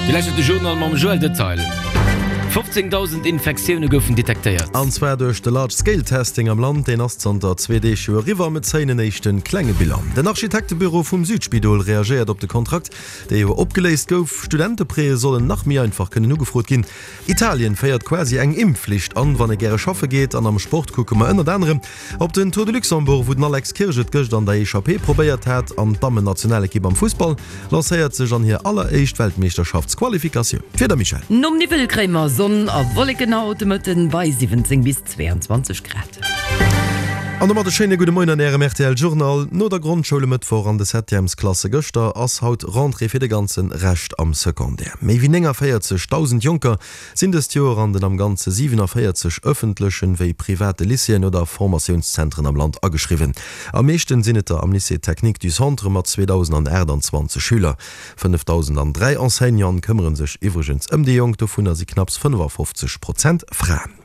Dir lauschtert de Journal mam Joël Detail. 15.000 Infektioune goufen detektéiert. An zwar duerch de Large Scale Testing am Land. Deen ass zanter zwee Deeg jo eriwwer. Mir zéien en éischte klenge Bilan. Den Architektebüro vum Südspidol reagéiert op de Kontrakt, dee jo opgeléist gouf. Studenteprêtë sollen nach méi einfach kënnen ugefrot ginn. Italien féiert quasi eng Impfflicht an, wann ee gäre schaffe geet. An am Sport kucke mer ënnert anerem op den Tour de Luxembourg, wou den Alex Kirsch et gëscht an der Echappée probéiert hat. An d'Dammennationalekipp am Fussball lancéiert sech an hir alleréischt Weltmeeschterschaftsqualifikatioun. D'Wieder, Michèle? Nom Niwwel kréie mer Sonn a Wolleken haut de Mëtten bei 17 bis 22 Grad. An domat e schéine gudde Moien an Ärem rtl Journal. No der Grondschoul e Mëttwoch an de Septièmesklasse gëschter ass haut Rentrée fir de ganze Rescht am Secondaire. Méi wéi 49.000 Jonker sinn dëst Joer an den am Ganze 47 ëffentlechen wéi private Lycéeën oder Formatiounszentren am Land ageschriwwen. Am meeschten sinn et der am Lycée Technique du Centre mat 2.028 Schüler. 5.003 Enseignanten këmmere sech iwwregens ëm déi Jonk, dovunner si knapps 55 Prozent Fraen.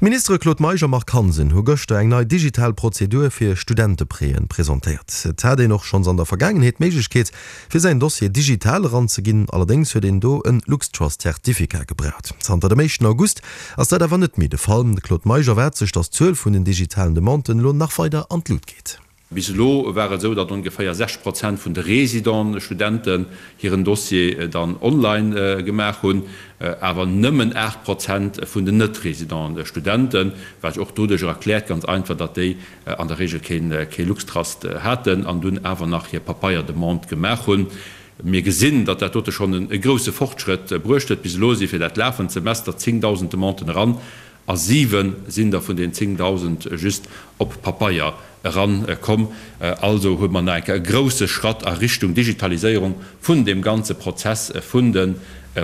D'Ministere Claude Meisch a Marc Hansen hu gëschter eng nei digital Prozedur fir Studenteprêten presentéiert. Et hat een och schonns an der Vergaangenheet d'Méiglechkeet, fir säin Dossier digital eranzeginn, allerdéngs huet een do en LuxTrust-Zertificat gebraucht. Zanter dem éischten August ass dat awer net méi de Fall. De Claude Meisch erwaart sech, datt d'Zuel vun den digitalen Demanden elo nach weider an d'Lut geet. Bis elo war et esou, datt ongeféier 60 Prozent vun de Résident-Studenten hiren Dossier dann online gemaach hunn, awer nëmmen 8 Prozent vun den Net-Résident-Studenten, wat sech och doduercher erkläert ganz einfach, datt déi an der Regel kee LuxTrust haten an dunn awer nach hir Papeier-Demande gemaach hunn. Mir gesinn, datt dat dote schonn e grousse Fortschrëtt bruecht huet. Bis elo si fir dat lafend Semester 10.000 Demanden eran A 7 sinn der vun den 10.000 just op Papeier eran komm. Also hu mer nach eng Kéier e grousse Schratt a Richtung Digitaliséierung vun deem ganze Prozess vun de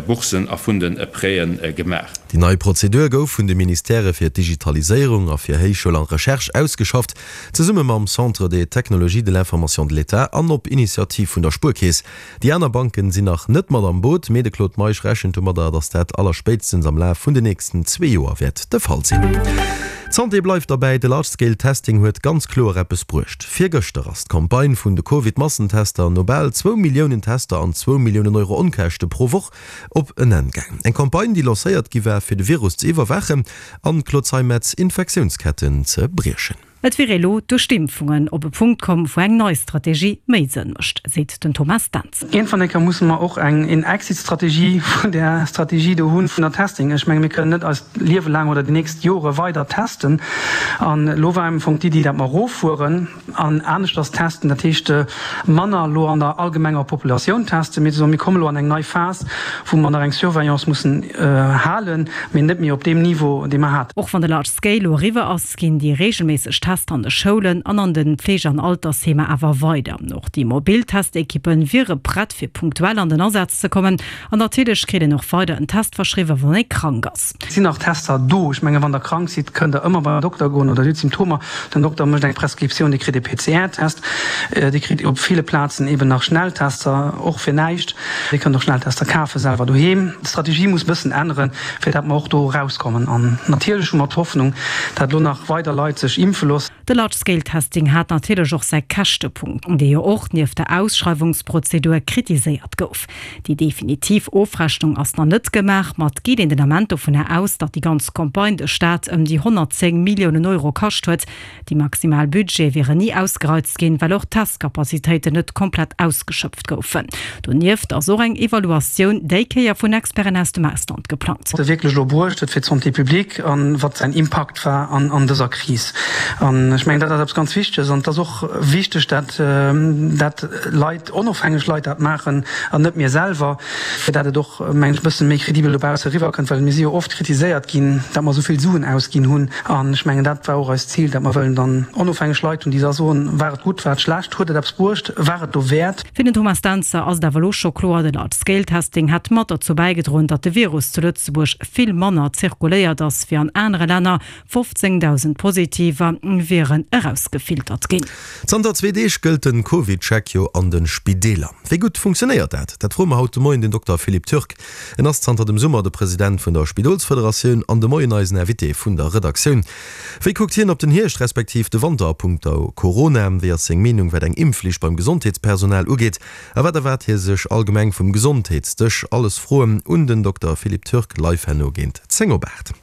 Boursen a vun de Prêten gemaach. Déi nei Prozedur gouf vun de Ministèrë fir d'Digitaliséierung a fir Héichschoul an Recherche ausgeschafft, zesumme mam Centre des technologies de l'information de l'État an op Initiativ vun der Spuerkeess. Déi aner Banken sinn nach net mat am Boot, mee de Claude Meisch rechent domadder, datt dat allerspéitstens am Laf vun den nächsten zwee Joer wäert de Fall sinn. D'Santé bleift derbäi, de Large Scale Testing huet ganz kloer eppes bruecht. Virgëschter ass d'Campagne vun de Covid-Massentester no bal zwou Milliounen Tester an zwou Milliounen Euro Onkäschte pro Woch op en Enn gaang. Eng Campagne, déi lancéiert gi war, fir de Virus ze iwwerwaachen an, Claude Zeimetz, Infektiounsketten ze briechen. Et wier elo duerch d'Impfungen op e Punkt komm, wou eng nei Strategie méi Sënn mécht, seet den Thomas Dentz. Iergendwann eng Kéier musse mer och eng een Exit-Strategie vun där Strategie do hunn, vun der Testing. Ech menge mir kënnen net eist Liewe laang oder déi nächst Jore weider testen. An elo war am Fong d'Iddi, dat mer eroffueren an aneschters testen, dat heescht manner elo an der allgemenger Populatioun testen, mee ze soen, mir komme elo an eng nei Phas, wou mer nach eng Surveillance mussen halen, mee net méi op deem Niveau, dee mer haten. Och wann de Large Scale elo eriwwer ass, ginn déi reegelméisseg Tester an de Schoulen an an de Fleege an Altersheemer awer weider. Och déi mobil Testekippe wiere prett fir punktuell an den Asaz ze kommen. An natierlech kritt een och weider en Test verschriwwen, wann ee krank ass. Et sinn nach Tester do. Ech mengen, wann Der krank sidd, kënnt Der ëmmer beim Dokter goen oder Dir hutt Symptomer. Den Dokter mécht eng Prescriptioun, Dir kritt e PCR-Test. Dir kritt op ville Plazen eeben nach Schnelltester, och fir näischt. Dir kënnt och Schnelltester kafe selwer doheem. D'Strategie muss e bëssen änneren, fir dat mer och do erauskommen. An natierlech hu mer d'Hoffnung, dat elo nach weider Leit sech impfe loossen. De Large Scale Testing hat natierlech och säi Käschtepunkt, dee jo och nieft der Ausschreiwungsprozedur kritiséiert gouf. Déi definitiv Ofrechnung ass nach net gemaach, ma et geet een den Ament dovunner aus, datt déi ganz Campagne de Staat ëm déi 110 Milliounen Euro kascht huet. Déi maximal Budgete wieren ni ausgereizt ginn, well och d'Testcapacitéiten net komplett ausgeschöpft goufen. Donieft ass och eng Evaluatioun, déi Kéier vun Experten aus dem Ausland, geplangt. Wierklech elo bruecht huet fir d'Santé publique a wat säin Impakt war an dëser Kris. An ech mengen, dat ass eppes ganz Wichteges. An et ass och wichteg, dat dat Leit, onofhängeg Leit dat maachen an net mir selwer, fir dat et och, mengen ech, e bësse méi kredibel dobausse eriwwerkënnt, well mir si jo oft kritiséiert ginn, dat mer esou vill Suen ausginn hunn. An ech mengen, dat war och eist Zil, dat mer wëllen dann onofhängeg Leit hunn, déi da soen, War et gutt, war et schlecht, huet et eppes bruecht, war et dowäert? Fir den Thomas Dentzer ass et awer elo scho kloer, de Large-Scale-Testing hätt mat derzou bäigedroen, datt de Virus zu Lëtzebuerg vill manner zirkuléiert ass wéi an anere Länner. 15.000 Positiver wieren. Dossieren erausgefiltert ginn. Zanter zwee Deeg gëllt den CovidCheck jo an de Spideeler. Wéi gutt funktionéiert dat? Dat froe mer haut de Moien den Dokter Philippe Turk. En ass zanter dem Summer de President vun der Spidolsfederatioun an de Moien eisen Invité vun der Redaktioun. Wéi kuckt hien op den Hierscht respektiv de Wanter a punkto Corona? Wéi ass seng Meenung wat eng Impfflicht beim Gesondheetspersonal ugeet? A wat erwaart hie sech allgemeng vum Gesondheetsdësch? Alles Froen un den Dokter Philippe Turk live herno géint 10 op 8.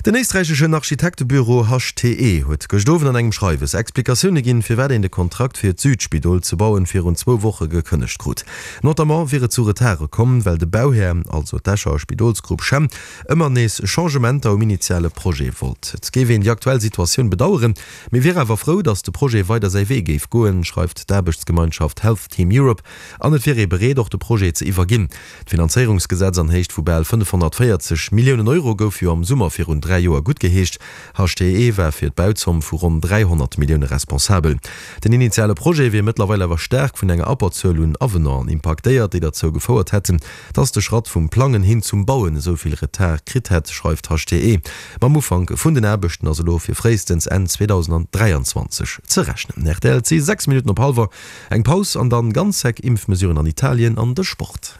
Den éisträicheschen Architektebüro HTE huet gëscht Owend an engem Schreiwes Explikatioune ginn, firwat een de Kontrakt fir d'Südspidol ze bauen virun zwou Woche gekënnegt krut. Notamment wier et zu Retarde komm, well de Bauhär, also d'Escher Spidolsgrupp Chem, ëmmer nees Changementer um initiale Projet wollt. Et géif een déi aktuell Situatioun bedaueren, Mee wier awer frou, datt de Projet weider säi Wee géif goen, schreift d'Aarbechtsgemeinschaft Health Team Europe. An et wier ee bereet, och de Projet ze iwwerginn. D'Finanzéierungsgesetz an Héicht vu bal 540 Milliounen Euro gouf jo am Summer virun 3 Joer guttgeheescht. HTE war fir d'Bauzomm vu ronn 300 Millioune responsabel. Den initiale Projet wier mëttlerweil awer staark vun enger Abberzuel un Avenanten impaktéiert, déi derzou gefouert hätten, Dass de Schratt vum Plangen hin zum Bauen esou vill Retard kritt hätt, schreift HTE. Mam Ufank vun den Aarbechten ass elo fir fréistens Enn 2023 ze rechnen. Rtl, Et si 6 Minutten op hallwer. Eng Paus an dann ganz sec Impfmesuren an Italien an de Sport.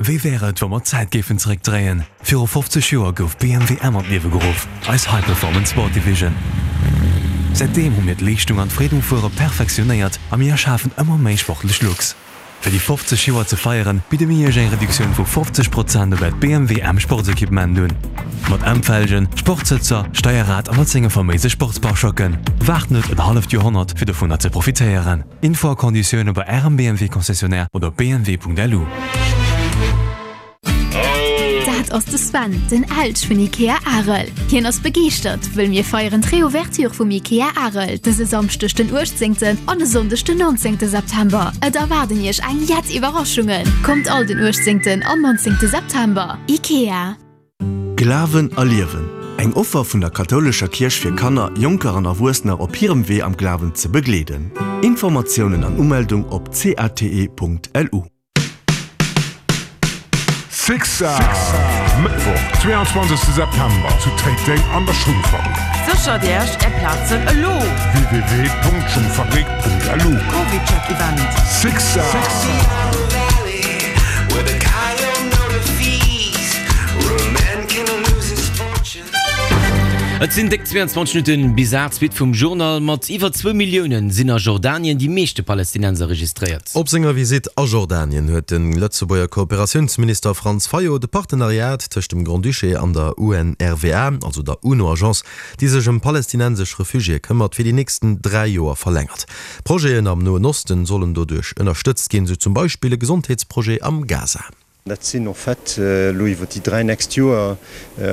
Wéi wär et, wa mer d'Zäit géifen zeréckdréien? Viru 50 Joer gouf BMW M an d'Liewe geruff, eis High Performance Sport Division. Säitdeem hu mir d'Leeschtung an d'Freed um Fuere perfektionéiert a mir erschafen ëmmer méi sportlech Looks. Fir déi 50 Joer ze feieren, bidde mir Iech eng Reduktioun vu 50 Prozent op äert BMW M Sportsequipement un. Mat M-Felgen, Sportsëtzer, Steierrad a mat senge faméise Sportspare-Choquen. Waart net en halleft Joerhonnert fir dovunner ze profitéieren. Info a Konditioune bei Ärem BMW Concessionnaire oder op bmw.lu. Dat ass de Sven, den Elch vun Ikea Arel. Hien ass begeeschtert, wëll mir feieren d'Reouverture vum Ikea Arel dëse Samschdeg den 18. An e Sonndeg den 19. September. Et erwaarden iech eng jett Iwwerraschungen. Kommt all den 18. An 19. September. Ikea. Glawen a Liewen, eng Offer vun der kathoulescher Kierch fir Kanner, Jonker an Erwuessener op hirem Wee am Glawen ze begleeden. Informatiounen an Umeldung op cate.lu. Sixer! Mëttwoch, 22 September zu Téiteng an der Schungfabrik. Séchert Iech Är Plazen elo! www.schungfabrik.lu CovidCheck Event. Sixer! Et sinn déck 22 Minutten bis 8, d'Suite vum Journal. Mat iwwer zwou Milliounen sinn a Jordanien déi meeschte Palästinenser registréiert. Op senger Visitt a Jordanien huet de Lëtzebuerger Kooperatiounsminister Franz Fayot de Partenariat tëscht dem Grand-Duché an der UNRWA, also der UNO-Agence, déi sech ëm palästinensesch Refugiéë këmmert, fir déi nächsten 3 Joer verlängert. Projeten am Noen Osten sollen doduerch ënnerstëtzt ginn, sou zum Beispill e Gesondheetsprojet am Gaza. Dat sinn en fait elo iwwer déi 3 nächst Joer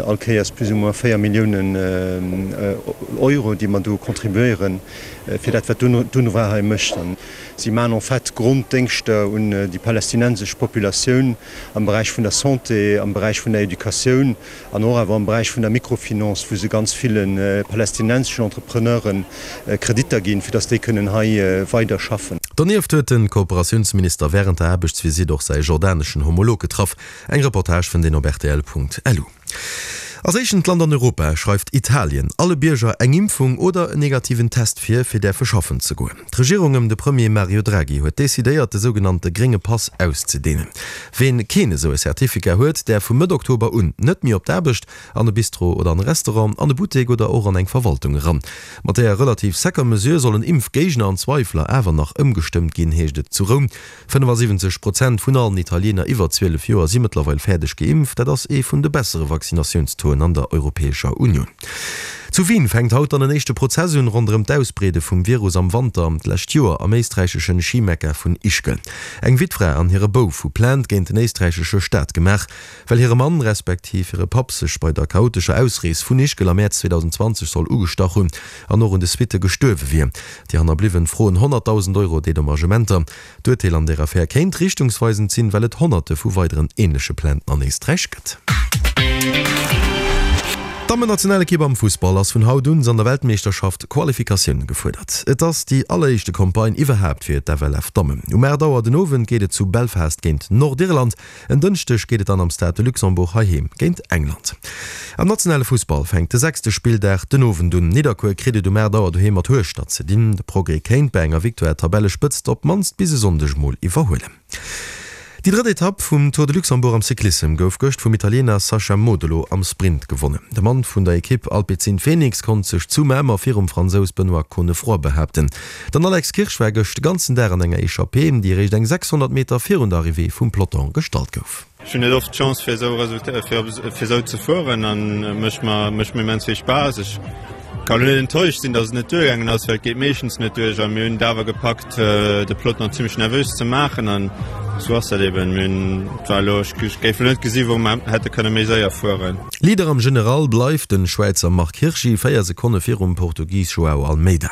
all Kéiers plus ou moins 4 Milliounen Euro, déi mer do contribuéieren, fir dat, wat d'UNRWA hei mécht. A si maachen en fait Gronddéngschter un déi palästinensesch Populatioun am Beräich vun der Santé, am Beräich vun der Educatioun an och awer am Beräich vun der Microfinance, wou se ganz ville palästinenseschen Entrepreneure Kreditter ginn, fir datt déi kënnen hei weider schaffen. Donieft huet de Kooperatiounsminister wärend der Aarbechtsvisitt och säi jordaneschen Homolog getraff. Eng Reportage fënnt een op rtl.lu. Als éischent Land an Europa schreift Italien alle Bierger eng Impfung oder en negativen Test vir, fir däerfe schaffen ze goen. D'Regierung ëm de Premier Mario Draghi huet decidéiert, de sougenannte grénge Pass auszedeenen. Ween keen esou e Certificat huet, däerf vu Mëtt Oktober un net méi op d'Aarbecht, an e Bistro oder an e Restaurant, an e Buttek oder och an eng Verwaltung eran. Mat deeër relativ secker Mesure sollen Impfgéigner an Zweifler awer nach ëmgestëmmt ginn, heescht et zu Roum. 75 Prozent vun allen Italiener iwwer 12 Joer si mëttlerweil fäerdeg geimpft. Dat ass ee vun de bessere Vaccinatiounstauxen an der Europäescher Unioun. Zu Wien fänkt haut dann en éischte Prozess un ronderëm d'Ausbreede vum Virus am Wanter d'lescht Joer am éisträicheschen Schimekka vun Ischgl. Eng Wittfra an hire Bouf hu Plainte géint den éisträichesche Staat gemaach. Well hire Mann, respektiv hire Papp sech bei der chaotescher Ausrees vun Ischgl am Mäerz 2020 soll ugestach hunn an och un de Suitte gestuerwe wier. Déi Hannerbliwwen froen 100.000 Euro Dedommagementer. D'Urteel an där Affär kéint richtungsweisend sinn, well et Honnerte vu weideren änleche Plainten an Éisträich gëtt. D'Dammennationalekipp am Fussball ass vun haut un an der Weltmeeschterschaft Qualifikatioun gefuerdert. Et ass déi alleréischte Campagne iwwerhaapt fir d'FLF Dammen. Um 8 Auer den Owend geet et zu Belfast géint Nordirland. En Dënschdeg geet et dann am Stade de Luxembourg heiheem géint England. Am nationale Fussball fänkt de sechste Spilldag den Owend un. Nidderkuer kritt et um 8 Auer doheem mat Hueschtert ze dinn. De Progrès kéint bei enger Victoire d'Tabellespëtzt op d'mannst bis e Sonndeg mol iwwerhuelen. Déi drëtt Etapp vum Tour de Luxembourg am Cyclissem gouf gëscht vum Italiener Sacha Modolo am Sprint gewonnen. De Mann vun der Ekipp Alpecin-Fenix konnt sech zu Mamer virum Fransous Benoît Cosnefroy behaapten. Den Alex Kirsch war gëscht de ganzen Dag an enger Echappée, déi eréischt eng 600 Meter virun der Arrivée vum Peloton gestallt gouf. Ech hunn net oft d'Chance fir esou Resultater, fir esou ze fueren an mécht mer mécht mir immens vill Spaass. Ech kann elo net enttäuscht sinn, datt et net duergaangen ass, well et geet meeschtens net duerch a mir hunn et awer gepackt de Peloton nach zimmlech nervös ze maachen an esou ass dat eben. Mir hunn et war elo, ech géif elo net gesi wou mer hätte kënne méi séier fueren. Leader am General bleift den Schwäizer Marc Hirschi, 4 Sekonne virum Portugis Joao Almeida.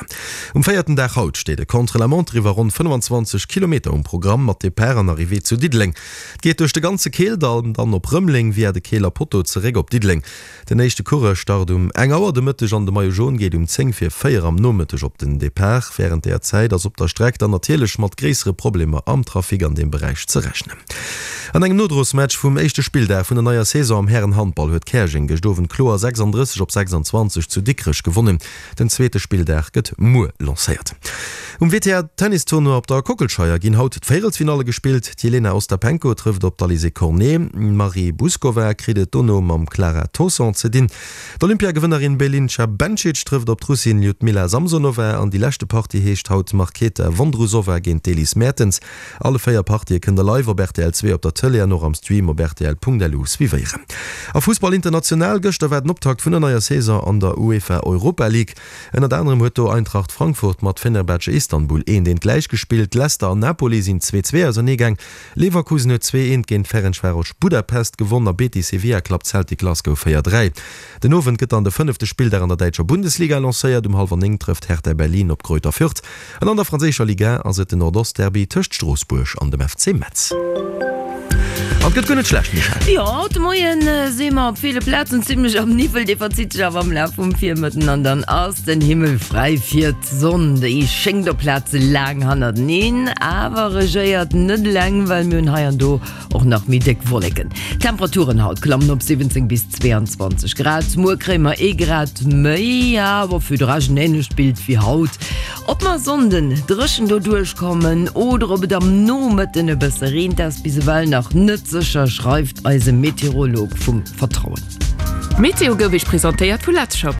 Um véierten Dag haut steet e Contre-la-montre iwwer ronn 25 Kilometer um Programm, mat Depart an Arrivée zu Diddeleng. Et geet duerch de ganze Keeldall, dann op Rëmeleng via de Keeler Potto zeréck op Diddeleng. Den éischte Coureur start um eng Auer de Mëtteg an de Maillot Jaune geet um 10 vir 4 am Nomëtteg op den Depart. Wärend där Zäit ass op der Streck dann natierlech mat gréissere Problemer am Trafic an deem Beräich ze rechnen. An engem Nodrosmatch vum éischte Spilldag vun der neier Saison am Härenhandball huet Käerjeng gëscht Owend kloer 36 op 26 zu Dikrech gewonnen. Den zweete Spilldag gëtt muer lancéiert. Um WTA Tennis Tournoi op der Kockelscheier ginn haut d'Véierelsfinalle gespillt. D'Jelena Ostapenko trëfft op d'Alizé Cornet. D'Marie Bouzkova kritt et dono mam Clara Tauson ze dinn. D'Olympiagewënnerin Belinca Bencic trëfft op d'Russin Ljudmila Samsonova an déi leschte Partie heescht haut Marketa Vondrousova géint d'Elise Mertens. Alle 4 Partië kënnt der live op rtl 2 op der Tëlee an och am Stream op rtl.lu suivéieren. A Fussball international, Gëschter war den Optakt vun der neier Saison an der UEFA Europa League. Ënnert anerem huet do Eintracht Frankfurt mat Fenerbahce Istanbul eent eent gläich gespillt, Leicester an Napoli sinn 2, 2 ausernee gaang, Leverkusen huet 2, 1 géint Ferencvaros Budapest gewonn a Betis Sevilla klappt Celtic Glasgow 4, 3. Den Owend gëtt dann de fënnefte Spilldag an der däitscher Bundesliga lancéiert. Um hallwer 9 trëfft Hertha Berlin op Greuther Fürth. An an der franséischer Ligue 1 ass et den Nordost-Derby tëscht Stroossbuerg an dem FC Metz. An et gëtt guer net schlecht, Michèle. Jo, haut de Moien si mer op ville Plazen zimmlech am Niwwel, dee verzitt sech awer am Laf vum Virmëtten an dann ass den Himmel fräi fir d'Sonn. Déi schéngt op Plaze laang hannerteneen, awer regéiert net eleng, well mir hunn hei an do Och nach méi déck Wolleken. D'Temperaturen haut klammen op 17 bis 22 Grad. Muer kréie mer ee Grad méi, awer fir de Rescht en änlecht Bild wéi haut. Ob mer e Sonnden dréchen doduerch kommen oder ob et am Nomëtten e bësse reent, ass bis ewell nach net sécher, schreift eise Meteorolog vum Vertrauen. D'Meteo gouf Iech presentéiert vu Letzshop.